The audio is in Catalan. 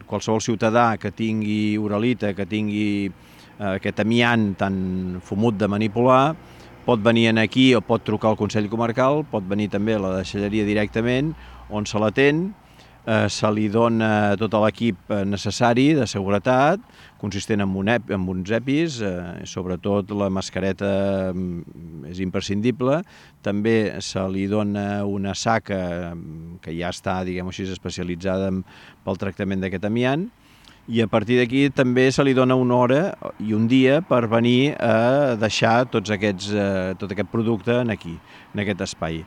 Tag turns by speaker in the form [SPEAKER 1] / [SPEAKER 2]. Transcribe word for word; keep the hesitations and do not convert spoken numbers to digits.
[SPEAKER 1] qualsevol ciutadà que tingui uralita, que tingui eh, aquest amiant tan fumut de manipular, pot venir aquí o pot trucar al Consell Comarcal, pot venir també a la deixalleria directament, on se l'atén, eh, se li dona tot l'equip necessari de seguretat, consistent en, un ep, en uns EPIs, eh, sobretot la mascareta és imprescindible, també se li dona una saca que ja està, diguem-ho així, especialitzada pel tractament d'aquest amiant, i a partir d'aquí també se li dona una hora i un dia per venir a deixar tots aquests, eh, tot aquest producte aquí, en aquest espai.